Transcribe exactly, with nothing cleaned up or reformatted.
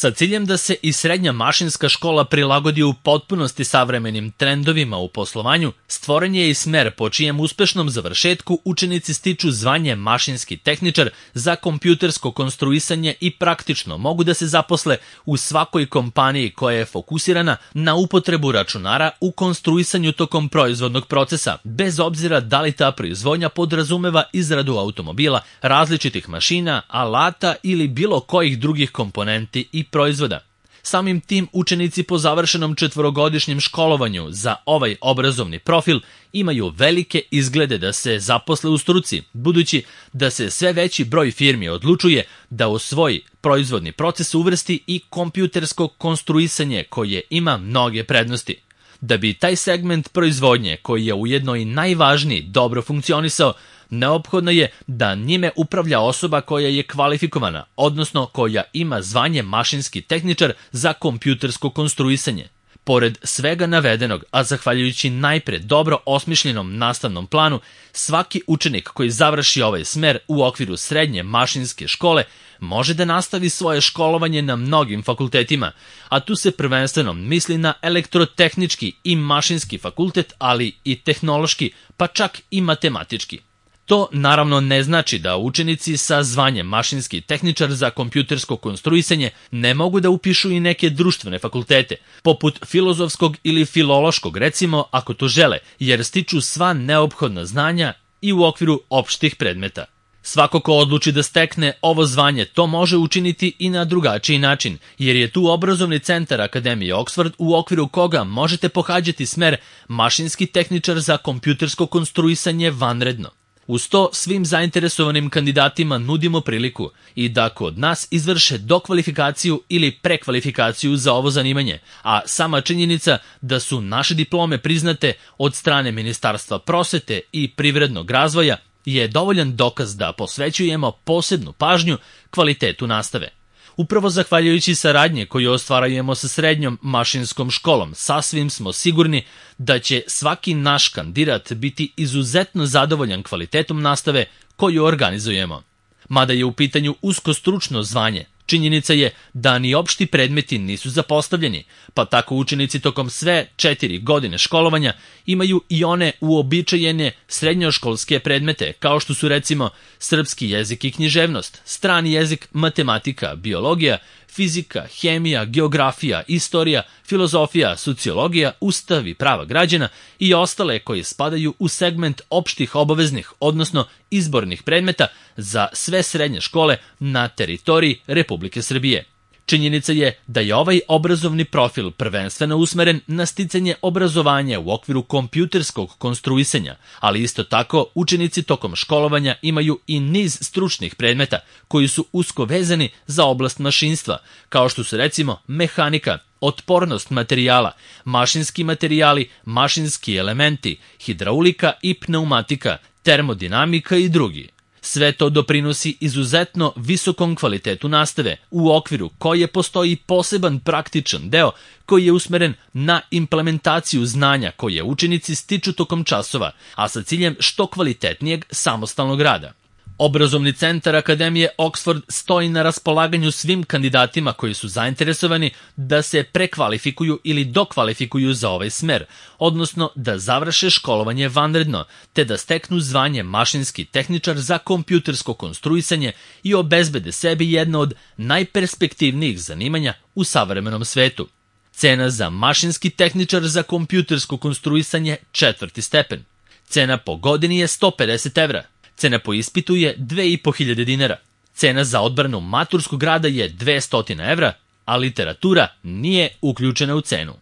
Sa ciljem da se i srednja mašinska škola prilagodi u potpunosti savremenim trendovima u poslovanju, stvoren je i smer po čijem uspešnom završetku učenici stiču zvanje mašinski tehničar za kompjutersko konstruisanje i praktično mogu da se zaposle u svakoj kompaniji koja je fokusirana na upotrebu računara u konstruisanju tokom proizvodnog procesa, bez obzira da li ta proizvodnja podrazumeva izradu automobila, različitih mašina, alata ili bilo kojih drugih komponenti i proizvoda. Samim tim učenici po završenom četvorogodišnjem školovanju za ovaj obrazovni profil imaju velike izglede da se zaposle u struci, budući da se sve veći broj firmi odlučuje da u svoj proizvodni proces uvrsti i kompjutersko konstruisanje koje ima mnoge prednosti. Da bi taj segment proizvodnje, koji je ujedno i najvažniji, dobro funkcionisao, neophodno je da njime upravlja osoba koja je kvalifikovana, odnosno koja ima zvanje mašinski tehničar za kompjutersko konstruisanje. Pored svega navedenog, a zahvaljujući najpre dobro osmišljenom nastavnom planu, svaki učenik koji završi ovaj smer u okviru srednje mašinske škole može da nastavi svoje školovanje na mnogim fakultetima, a tu se prvenstveno misli na elektrotehnički i mašinski fakultet, ali i tehnološki, pa čak i matematički. To naravno ne znači da učenici sa zvanjem mašinski tehničar za kompjutersko konstruisanje ne mogu da upišu i neke društvene fakultete, poput filozofskog ili filološkog recimo ako to žele, jer stiču sva neophodna znanja i u okviru opštih predmeta. Svako ko odluči da stekne ovo zvanje to može učiniti i na drugačiji način, jer je tu obrazovni centar Akademije Oxford u okviru koga možete pohađati smer mašinski tehničar za kompjutersko konstruisanje vanredno. Uz to svim zainteresovanim kandidatima nudimo priliku i da kod nas izvrše dokvalifikaciju ili prekvalifikaciju za ovo zanimanje, a sama činjenica da su naše diplome priznate od strane Ministarstva prosvete i privrednog razvoja je dovoljan dokaz da posvećujemo posebnu pažnju kvalitetu nastave. Upravo zahvaljujući saradnje koju ostvarujemo sa srednjom mašinskom školom, sasvim smo sigurni da će svaki naš kandidat biti izuzetno zadovoljan kvalitetom nastave koju organizujemo. Mada je u pitanju usko stručno zvanje, činjenica je da ni opšti predmeti nisu zapostavljeni, pa tako učenici tokom sve četiri godine školovanja imaju i one uobičajene srednjoškolske predmete, kao što su recimo srpski jezik i književnost, strani jezik, matematika, biologija, fizika, hemija, geografija, istorija, filozofija, sociologija, ustav i prava građana i ostale koji spadaju u segment opštih obaveznih, odnosno izbornih predmeta za sve srednje škole na teritoriji Republike Srbije. Činjenica je da je ovaj obrazovni profil prvenstveno usmeren na sticanje obrazovanja u okviru kompjuterskog konstruisanja, ali isto tako učenici tokom školovanja imaju i niz stručnih predmeta koji su usko vezani za oblast mašinstva, kao što su recimo mehanika, otpornost materijala, mašinski materijali, mašinski elementi, hidraulika i pneumatika, termodinamika i drugi. Sve to doprinosi izuzetno visokom kvalitetu nastave, u okviru koje postoji poseban praktičan deo koji je usmeren na implementaciju znanja koje učenici stiču tokom časova, a sa ciljem što kvalitetnijeg samostalnog rada. Obrazovni centar Akademije Oxford stoji na raspolaganju svim kandidatima koji su zainteresovani da se prekvalifikuju ili dokvalifikuju za ovaj smer, odnosno da završe školovanje vanredno, te da steknu zvanje mašinski tehničar za kompjutersko konstruisanje i obezbede sebi jedno od najperspektivnijih zanimanja u savremenom svetu. Cena za mašinski tehničar za kompjutersko konstruisanje četvrti stepen. Cena po godini je sto pedeset evra. Cena po ispitu je dve i po hiljade dinara. Cena za odbranu maturskog rada je dvesta evra, a literatura nije uključena u cenu.